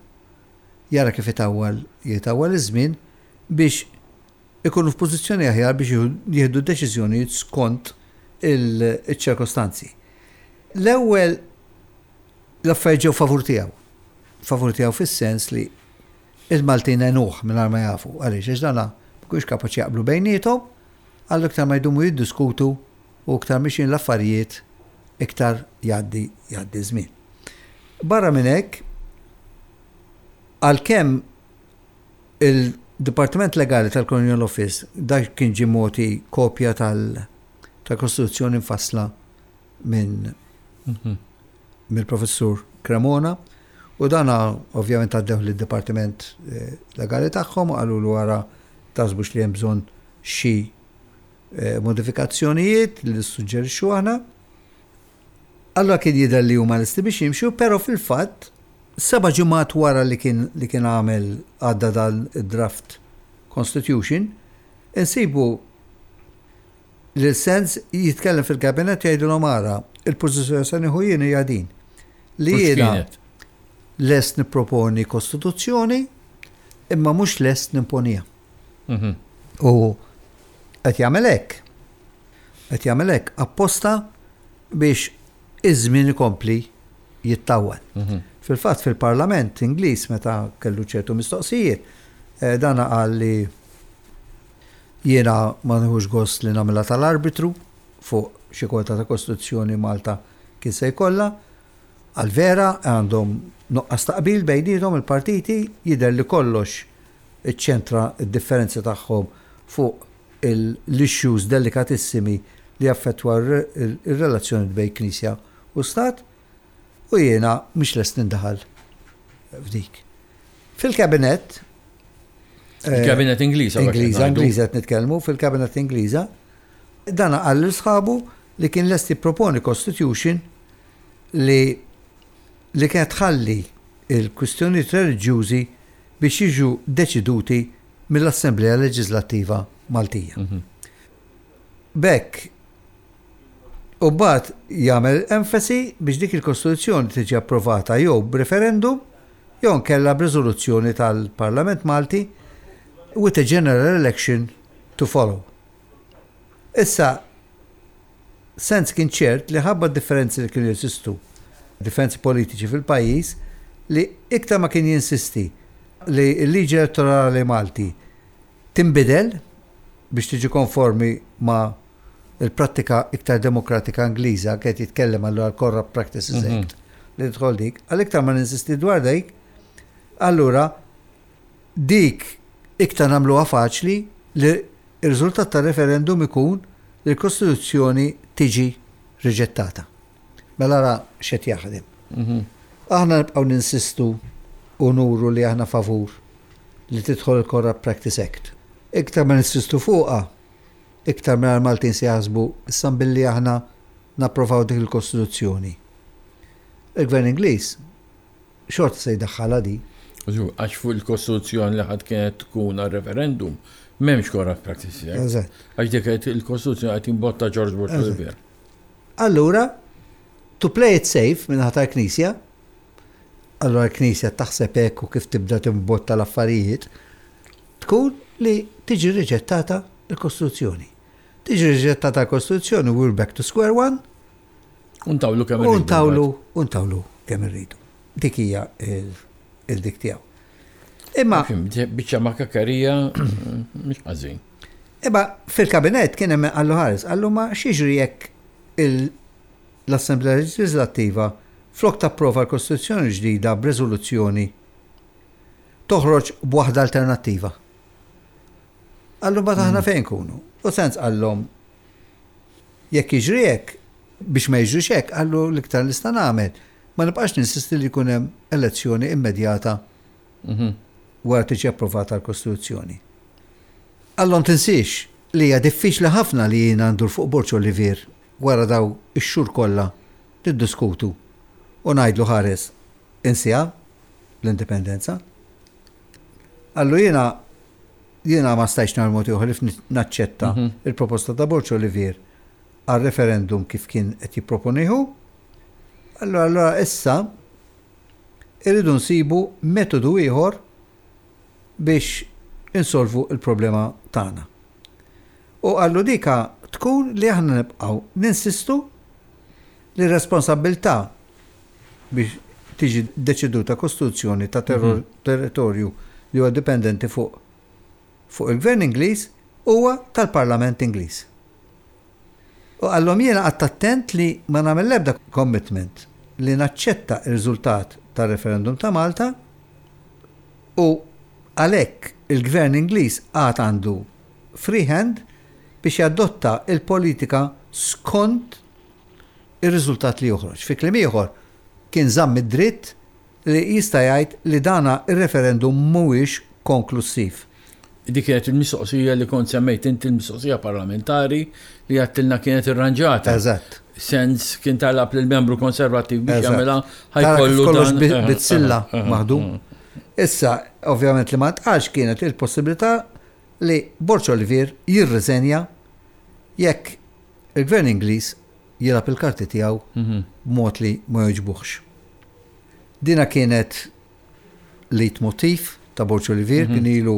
jara kif itawwal jitawwal iż-żmien biex ikunu f'pożizzjoni aħjar biex jieħdu deċiżjonijiet skont iċ-ċirkostanzi. L-ewwel l-affarijiet ġew favur tiegħu. Favur tiegħu fis-sens li il-Maltin għenuh mingħajr ma jafu. Għaliex għax dana ma kienux kapaċi jaqblu bejniethom, għallu iktar ma jdumu jiddiskutu u iktar mixjin l-affarijiet iktar jgħaddi jgħaddi żmien. Barra minn hekk, għalkemm il-Dipartiment Legali tal-Colonial Office dak kien ġie mogħti kopja tal-Kostituzzjoni mfassla minn mhm. mill-Professur Cremona u dana ovvjament għaddew lid-Dipartiment eh, Legali tagħhom u qalulu wara taħsbux li hemm bżonn xi eh, modifikazzjonijiet li nissuġġerixxu aħna. Allura kien jidher li huma lesti biex jimxu, però fil-fatt seba' ġimgħat wara li kien li kien għamel għadda dan id-draft constitution, insibu Lil Sands jitkellem fil-kabinett jgħidilhom ara, il-pożizzjoni se nieħu jien hija din. Li jiena lest nipproponi kostituzzjoni imma mhux lest nimponiha. Mhm. U qed jagħmel hekk. Qed jagħmel hekk apposta biex iż-żmien ikompli jittawwal. Mhm. Fil-fatt fil-Parlament Ingliż meta kellu ċertu mistoqsijiet, eh, dan qal li Jiena ma nieħux gost li nagħmilha tal-arbitru fuq xi kwota ta' kostituzzjoni Malta kien se jkollha. Għal vera għandhom nuqqas ta' qbil bejniethom il-partiti, jidher li kollox iċċentra d-differenzi tagħhom fuq l-issues delikatissimi li jaffettwa r-relazzjonijiet bejn Knisja u Stat u jiena mhux lest nindaħal f'dik. Fil-Kabinett Il-kabinet Ingliż. Ingliża, Ingliża qed nitkellmu, fil-kabinet Ingliża, dan qal lil sħabu li kien lest jipproponi constitution li li kienet tħalli il-kwistjonijiet reliġjużi biex jiġu deċiduti mill-Assemblea Leġislattiva Maltija. Mhm. B'hekk u mbagħad jagħmel enfasi biex dik il-Kostituzzjoni tiġi approvata jew b'referendum jew inkella b'riżoluzzjoni tal-Parlament Malti with a general election to follow. Issa, Sands kien ċert li ħabba d-differenzi li kienu jeżistu, differenzi politiċi fil-pajjiż, li iktar ma kien jinsisti li l-liġi elettorali Malti tinbidel biex tiġi konformi ma' il-prattika iktar demokratika Ingliża, qed jitkellem allura l-Corrupt Practices mhm. Act, li tidħol dik, għal iktar ma ninsisti dwar dik, allura dik iktar nagħmluha faċli li r-riżultat tar-referendum ikun li l-Kostituzzjoni tiġi riġettata. Mela ra x'qed jaħdem. Mhm. Aħna nibqgħu ninsistu u nuru li aħna favur li tidħol il-Corrupt Practice Act. Iktar ma ninsistu fuqha, Iktar mela l-Maltin se jaħsbu issa billi aħna napprovaw dik il-Kostituzzjoni. Il-Gvern Ingliż xorta se jdaħħalha di. Għax fuq il-Kostituzzjoni li ħadd kienet tkun għal-referendum, m'hemmx Corrupt Practices Act. Għax dik il-Kostituzzjoni qed jimbotta George Bush fil-gvern. Allura, to play it safe minn ħatar Knisja, allura l-Knisja taħseb hekk u kif tibda timbotta l-affarijiet, tkun li tiġi riġettata l-Kostituzzjoni. Tiġi riġettata l-Kostituzzjoni, we're back to square one. Untawlu kemm irridu. Untawlu, untawlu kemm irridu. Dik hija il-dik tiegħu. Imma. Biċċa makakarija mhux ħażin. Imma fil-kabinett kien hemm qallu ħares, qallu ma x'jiġri jekk l-Assemblea Leġislattiva flok tapprova l-Kostituzzjoni ġdida b'reżoluzzjoni toħroġ b'waħda alternattiva. Qallu mbagħad aħna fejn nkunu? U Sands qallhom jekk jiġri hekk, biex ma jiġrix hekk, qallu l-iktar li nista' nagħmel, ma nibqax ninsisti li jkun hemm elezzjoni immedjata wara tiġi approvata l-Kostituzzjoni. Qallhom tinsiex li hija diffiċli ħafna li jiena ndur fuq Borg Olivier wara daw ix-xhur kollha niddiskutu u ngħidlu ħares insiha l-indipendenza. Qallu jiena jiena ma stajtx nagħmel mod ieħor ħlief naċċetta il-proposta ta' Borg Olivier għal referendum kif kien qed jipproponih hu. Allura allura issa irridu nsibu metodu ieħor biex insolvu l-problema tagħna. U qallu dika tkun li aħna nibqgħu ninsistu li r-responsabbiltà biex tiġi deċiduta kostituzzjoni ta' territorju li huwa dipendenti fuq fuq il-Gvern Ingliż huwa tal-Parlament Ingliż. U qallhom jiena qgħadt attent li ma nagħmel l-ebda commitment li naċċetta r-riżultat tar-referendum ta' Malta u għalhekk il-Gvern Ingliż għad għandu free hand biex jadotta l-politika skont ir-riżultat li joħroġ. Fi kliem ieħor, kien żamm id-dritt li jista' jgħid li dana r-referendum mhuwiex konklussiv. Dik kienet il-mistoqsija li kont semmejt inti l-mistoqsija parlamentari li għedtilna kienet irranġata. Eżatt. Sens kien talab lil membru konservattiv biex jagħmilha ħajkollu kollox bit-silla maħdum. Issa, ovvjament li ma ntqalx kienet il-possibilità li Borg Olivier jirriżenja jekk il-Gvern Ingliż jilgħab il-karti tiegħu b'mod li ma jogħġbuhx. Dina kienet leitmotiv ta' Borg Olivier kien ilu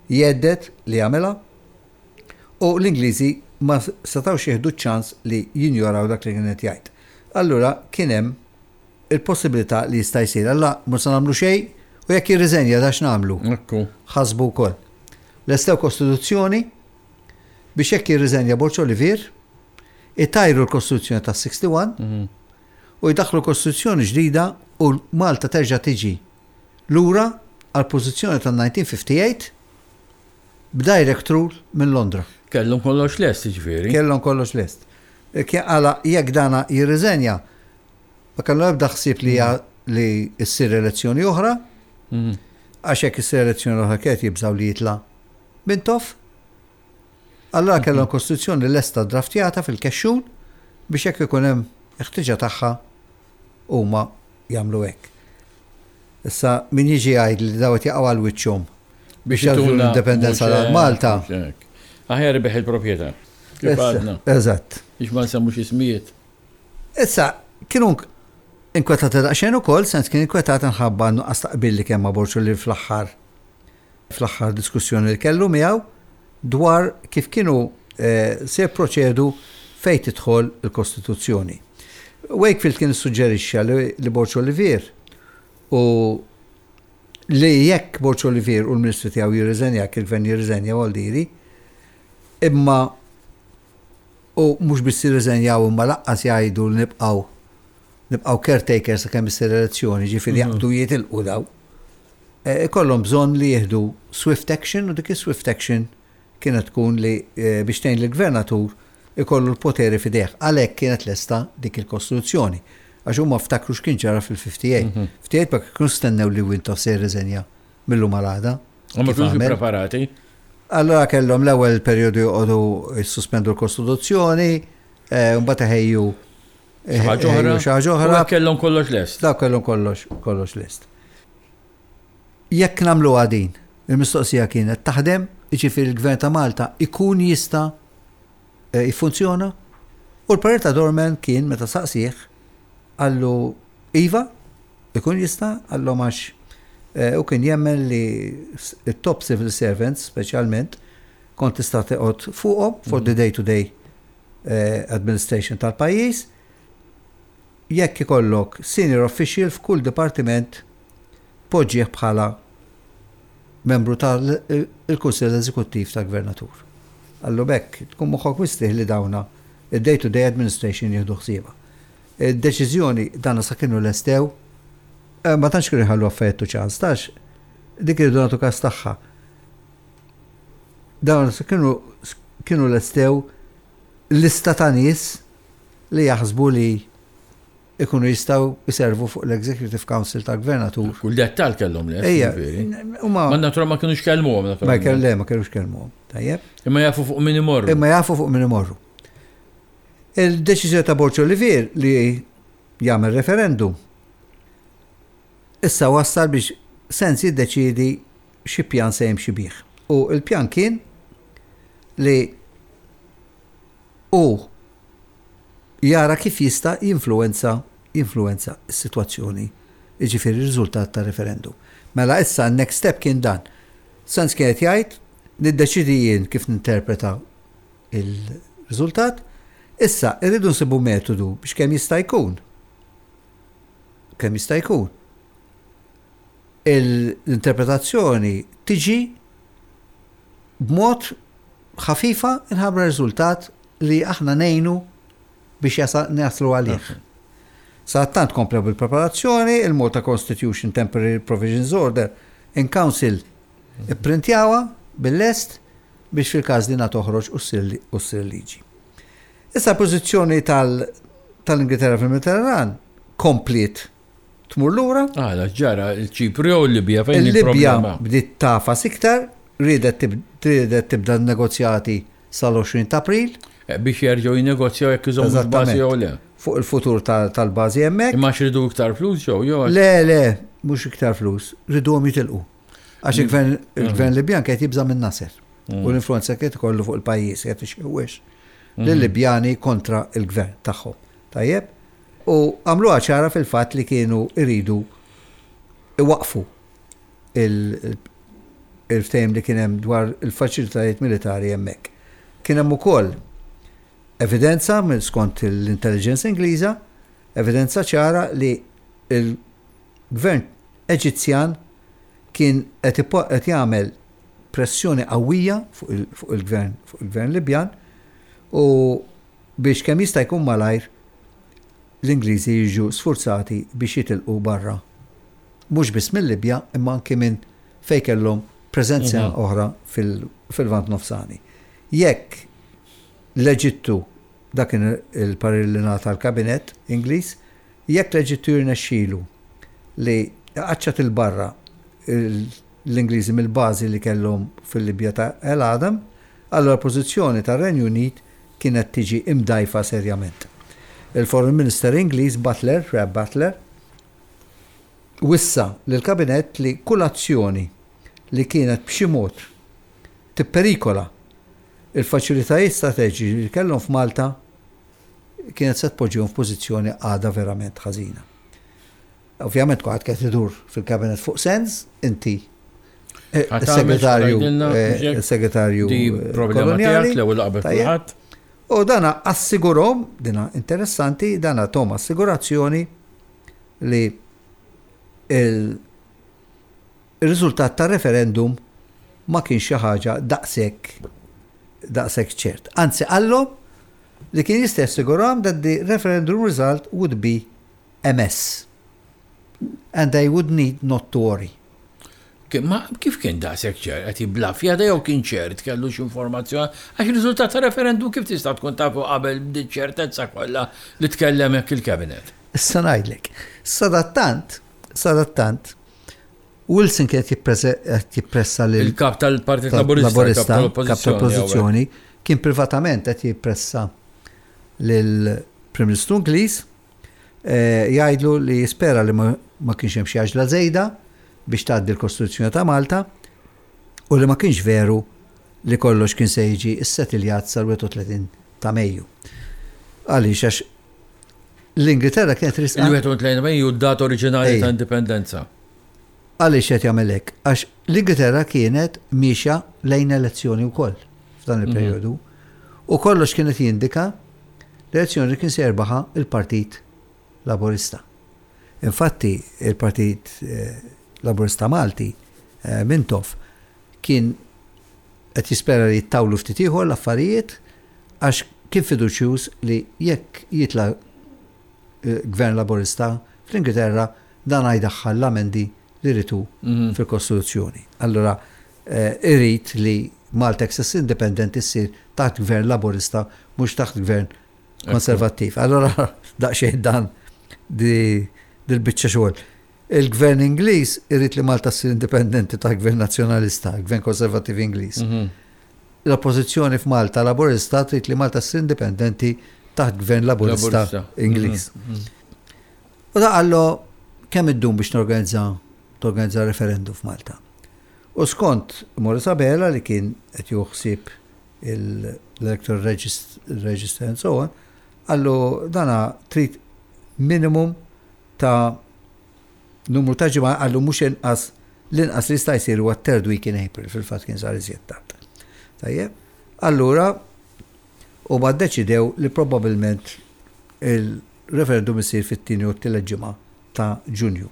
jgħedded li jagħmilha u l-Ingliżi ma setgħux jieħdu ċ-ċans li jinjoraw dak li kien qed jgħid. Allura kien hemm il-possibilità li jista' jsir. Alla mhux se nagħmlu xejn u jekk jirriżenja da x'nagħmlu? Ekku. Ħasbu wkoll. Lestew kostituzzjoni biex jekk jirriżenja Borg Olivier, itajru l-kostituzzjoni tas-61 u jdaħħlu kostituzzjoni ġdida u Malta terġa' tiġi lura għall-pożizzjoni tan-1958 b'direct rule minn Londra. Kellhom kollox lest, jiġifieri. Kellhom kollox lest. Għala jekk dana jirriżenja, ma kellhom ebda ħsieb li li ssir elezzjoni oħra, għax jekk issir elezzjoni oħra kienet jibżgħu li jitla' Mintoff. Allura kellhom kostituzzjoni lesta draftjata fil-kexxun biex jekk ikun hemm il-ħtieġa tagħha huma jagħmlu hekk. Issa min jiġi jgħid li daw qed jaqgħu għal wiċċhom biex jagħtu l-indipendenza lil Malta. Aħjar ibigħ il-proprjetà. Kif għadna. Eżatt. Biex ma nsemmux ismijiet. Issa, kienu inkwetati daqsxejn ukoll, sens kien inkwetat minħabba nuqqas ta' qbil li kemm ma' Borg li fl-aħħar fl-aħħar diskussjoni li kellu miegħu dwar kif kienu se jipproċedu fejn tidħol il-Kostituzzjoni. Wakefield kien issuġġerixxa li Borg Olivier u li jekk Borg Olivier u l-Ministri tiegħu jirriżenja, jekk il-Gvern jirriżenja Waldiri, imma u mhux biss jirriżenjaw imma laqqas jgħidu li nibqgħu nibqgħu caretaker sakemm issir elezzjoni, ġifieri jaqbdu jitilqu daw. Ikollhom bżonn li jieħdu swift action u dik is-swift action kienet tkun li biex tgħin lill-gvernatur ikollu l-poteri f'idejh. Għalhekk kienet lesta dik il-kostituzzjoni. Għax huma ftakru x'kien ġara fil-58. 58 ma kinux stennew li Wintoff se jirriżenja mil-lum għal għada. U ma kinux ippreparati. Allura kellhom l-ewwel perjodu joqogħdu jissospendu l-kostituzzjoni, mbagħad iħejju Xi ħaġa oħra. Xi ħaġa oħra. Kellhom kollox lest. Dak kellhom kollox kollox lest. Jekk nagħmluha din, il-mistoqsija kienet taħdem, jiġifieri l-Gvern ta' Malta ikun jista' eh, jiffunzjona? U l-parir ta' Dorman kien meta saqsih qallu iva, ikun jista' qallhom għax eh, u kien jemmen li t-top civil servants speċjalment kont tista' teqgħod fuqhom for the day to day eh, administration tal-pajjiż jekk ikollok senior official f'kull dipartiment poġġih bħala membru tal-Kunsill Eżekuttiv tal-Gvernatur. Qallu b'hekk tkun moħħok mistrieħ li dawna id-day to day administration jieħdu ħsiebha. Id-deċiżjoni dana sa kienu lestew, ma tantx kienu jħallu affarijiet to chance, tax dik irridu nagħtu każ tagħha. Dawn sa kienu kienu lestew lista ta' nies li jaħsbu li ikunu jistgħu jservu fuq l-Executive Council tal-Gvernatur. Kull dettal kellhom lest. Ejja, huma. Ma natura ma kinux kellmuhom. Ma le, ma kinux kellmuhom. Tajjeb. Imma jafu fuq min imorru. Imma jafu fuq min imorru. Il-deċiżjoni ta' Borg Olivier li jagħmel referendum issa wassal biex Sens jiddeċiedi xi pjan se jimxi bih. U l-pjan kien li hu jara kif jista' jinfluwenza jinfluwenza s-sitwazzjoni, jiġifieri r-riżultat tar-referendum. Mela issa n-next step kien dan. Sanz kien qed jgħid, niddeċiedi jien kif ninterpreta l-riżultat, issa rridu nsibu metodu biex kemm jista' jkun, kemm jista' jkun, l-interpretazzjoni tiġi b'mod ħafifa nħabbra riżultat li aħna ngħinu biex naslu għalih. Sadattant komplew bil-preparazzjoni, il-Malta Constitution Temporary Provisions Order in Council ipprintjawha bil-lest biex fil-każ dinha toħroġ u ssir liġi. Issa l-pożizzjoni tal-Ingilterra fil-Mediterran kompliet tmur lura. Għala, ġara, il-Ċipru jew il-Libja fejn il-Libja bdiet tafas iktar, riedet tibda n-negozjati sal-20 ta' April. Eh, biex jerġgħu jinnegozjaw jekk iżommu l-bażi jew le. Fuq il-futur tal-bażi hemmhekk. Imma x'ridu iktar flus jew jew? Le, le, mhux iktar flus, riduhom jitilqu. Għax il-gvern il-gvern Libjan kien jibża' minn Nasser u l-influenza kien ikollu fuq il-pajjiż qed ixewwex lil-Libjani kontra l-gvern tagħhom. Tajjeb? U għamluha ċara fil-fatt li kienu jridu iwaqqfu il-ftehim li kien hemm dwar il-faċilitajiet militari hemmhekk. Kien hemm ukoll evidenza minn skont l-intelligence Ingliża, evidenza ċara li l-gvern Eġizzjan kien qed jagħmel pressjoni qawwija fuq il-gvern fuq il-gvern Libjan u biex kemm jista' jkun malajr l-Ingliżi jiġu sfurzati biex jitilqu barra mhux biss mil-Libja imma anki minn fejn kellhom preżenza oħra fil-Lvant Nofsani. Jekk l-Eġittu, dak kien il-parir li ngħata l-Kabinett Ingliż, jekk l-Eġittu jirnexxilu li jqaċċat 'il barra l-Ingliżi mill-bażi li kellhom fil-Libja ta' El Adem, allura l-pożizzjoni tar-Renju Unit kienet tiġi imdgħajfa serjament. Il-Foreign Minister Ingliż Butler, Rab Butler, wissa lill-Kabinett li kull azzjoni li kienet b'xi mod tipperikola l-faċilitajiet strateġiċi li kellhom f'Malta kienet se tpoġġihom f'pożizzjoni qagħda verament ħażina. Ovvjament kulħadd qed idur fil-Kabinett fuq sens, inti eh, segretarju eh, segretarju koloniali. L-ewwel qabel kulħadd. U dana assigurhom, dina interessanti, dana tom assigurazzjoni li il-riżultat tar-referendum ma kienx xi ħaġa daqshekk daqshekk ċert. Anzi qallhom li kien jista' jassigurahom that the referendum result would be a mess and they would need not to worry. Ma kif kien daqshekk ċert? Qed jibblafja da jew kien ċert kellu xi informazzjoni? Għax riżultat ta' referendum kif tista' tkun tafu qabel b'din ċertezza kollha li tkellem hekk il-cabinet? Issa ngħidlek. Sadattant, sadattant, Wilson kien qed jippressa lil Il-kap tal-Partit Laburista, kap tal-Oppożizzjoni, kien privatament qed jippressa lill-Prim Ministru Ingliż jgħidlu li jispera li ma kienx hemm xi għaġla żejda biex tgħaddi l-Kostituzzjoni ta' Malta u li ma kienx veru li kollox kien se jiġi ssetiljat sal-31 ta' Mejju. Għaliex għax l-Ingilterra kienet risqa. Il-31 ta' Mejju d-data oriġinali ta' indipendenza. Għaliex qed jagħmel hekk? Għax l-Ingilterra kienet miexja lejn elezzjoni wkoll f'dan il-perjodu. U kollox kienet jindika l-elezzjoni kien se jerbaħha il-Partit Laburista. Infatti, il-Partit eh, Laburista Malti, eh, Mintoff, kien Qed jispera li jittawlu ftit ieħor l-affarijiet għax kien fiduċjuż li jekk jitla' Gvern Laburista fl-Ingilterra dan ħa jdaħħal l-amendi li jrid hu fil-Kostituzzjoni. Allura irid li Malta jekk se ssir indipendenti ssir taħt Gvern Laburista mhux taħt Gvern Konservattiv. Allura daqsxejn dan dil-biċċa xogħol. Il-Gvern Ingliż irid li Malta ssir indipendenti taħt Gvern Nazzjonalista, Gvern Konservattiv Ingliż. L-Oppożizzjoni f'Malta Laburista trid li Malta ssir indipendenti taħt Gvern Laburista Ingliż. U da qallu kemm iddum biex norganizza torganizza referendum f'Malta. U skont Maurice Abela li kien qed jieħu ħsieb l-electoral register and so on, qallu dana trid minimum ta' numru ta' ġimgħa qallu mhux inqas l-inqas li jista' jsir huwa third week in April, fil-fatt kien sar iżjed tard. Tajjeb? Allura huma ddeċidew li probabbilment il-referendum isir fit-tieni u t-tielet ġimgħa ta' Ġunju.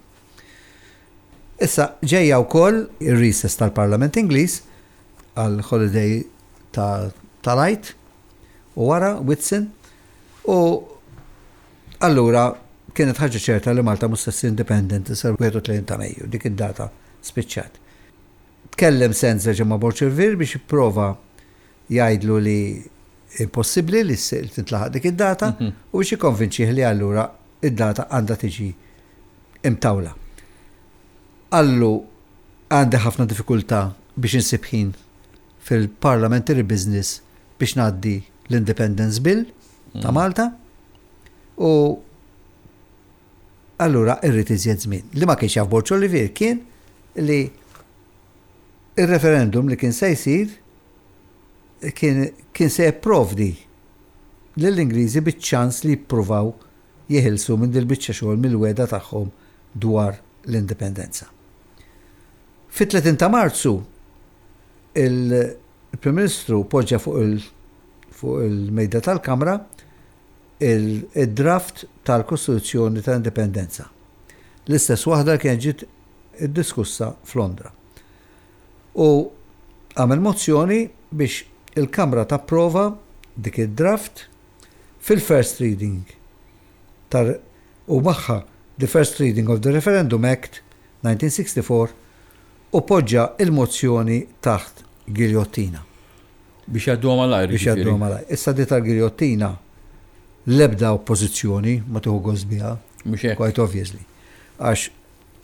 Issa ġejja wkoll ir-recess tal-Parlament Ingliż għal holiday tal-Għid u wara Whitsun u Allura, kienet ħaġa ċerta li Malta mhux se ssir indipendenti sal-31 ta' Mejju, dik id-data spiċċat. Tkellem Sands reġa' ma' Borg Olivier biex jipprova jgħidlu li impossibbli li tintlaħaq dik id-data u biex jikkonvinċih li allura id-data għandha tiġi imtawla. Qallu għandi ħafna diffikultà biex insib ħin fil-parliamentary business biex ngħaddi l-Independence Bill ta' Malta u allura irrid iżjed żmien. Li ma kienx jaf Borg Olivier kien li il-referendum li kien se jsir kien, kien se jipprovdi lill-Ingliżi biċ-ċans li jippruvaw jeħilsu minn dil-biċċa xogħol mill-wegħda tagħhom dwar l-indipendenza. Fit-30 ta' Marzu il-Prim Ministru poġġa fuq il fuq il-mejda tal-Kamra il-draft tal-Kostituzzjoni tal-Indipendenza. L-istess waħda li kienet ġiet iddiskussa f'Londra. U għamel mozzjoni biex il-Kamra tapprova dik id-draft fil-first reading tar u magħha the first reading of the Referendum Act 1964 u poġġa l-mozzjoni taħt giljottina. Biex jgħadduha malajr. Biex jgħadduha malajr. Issa di tal-giljottina l-ebda oppożizzjoni ma tieħu gost biha. Mhux hekk. Quite obviously. Għax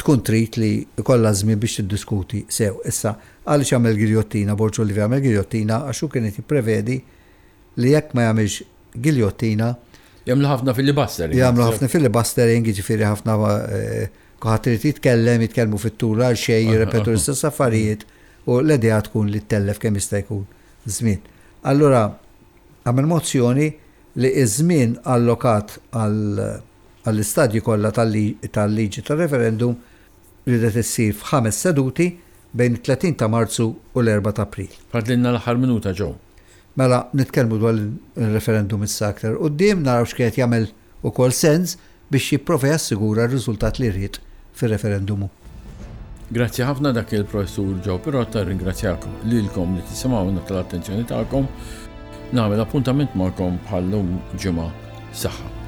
tkun trid li jkollha żmien biex tiddiskuti sew. Issa, għaliex għamel giljottina, Borg Olivier għamel giljottina għax hu kien qed jipprevedi li jekk ma jagħmilx giljottina. Jagħmlu ħafna filibustering. Jagħmlu ħafna filibustering, jiġifieri ħafna eh, kulħadd irid jitkellem, jitkellmu fit-tul għal xejn, jirrepetu l-istess affarijiet u l-idea tkun li ttellef kemm jista' jkun żmien. Allura għamel mozzjoni li ż-żmien allokat għall-istadji kollha tal-liġi tar-referendum ridet issir f'ħames seduti bejn it-30 ta' Marzu u l-erbgħa ta' April. Fadlilna l-aħħar minuta, Joe. Mela, nitkellmu dwar ir-referendum issa aktar 'il quddiem, naraw x'kien qed jagħmel ukoll sens biex jipprova jassigura r-riżultat li ried fir-referendum hu. Grazzi ħafna dak il-Professur Joe Pirotta, ringrazzjakom lilkom li tisimgħuna tal-attenzjoni tagħkom. Nagħmel appuntament magħkom bħal-lum ġimgħa. Saħħa.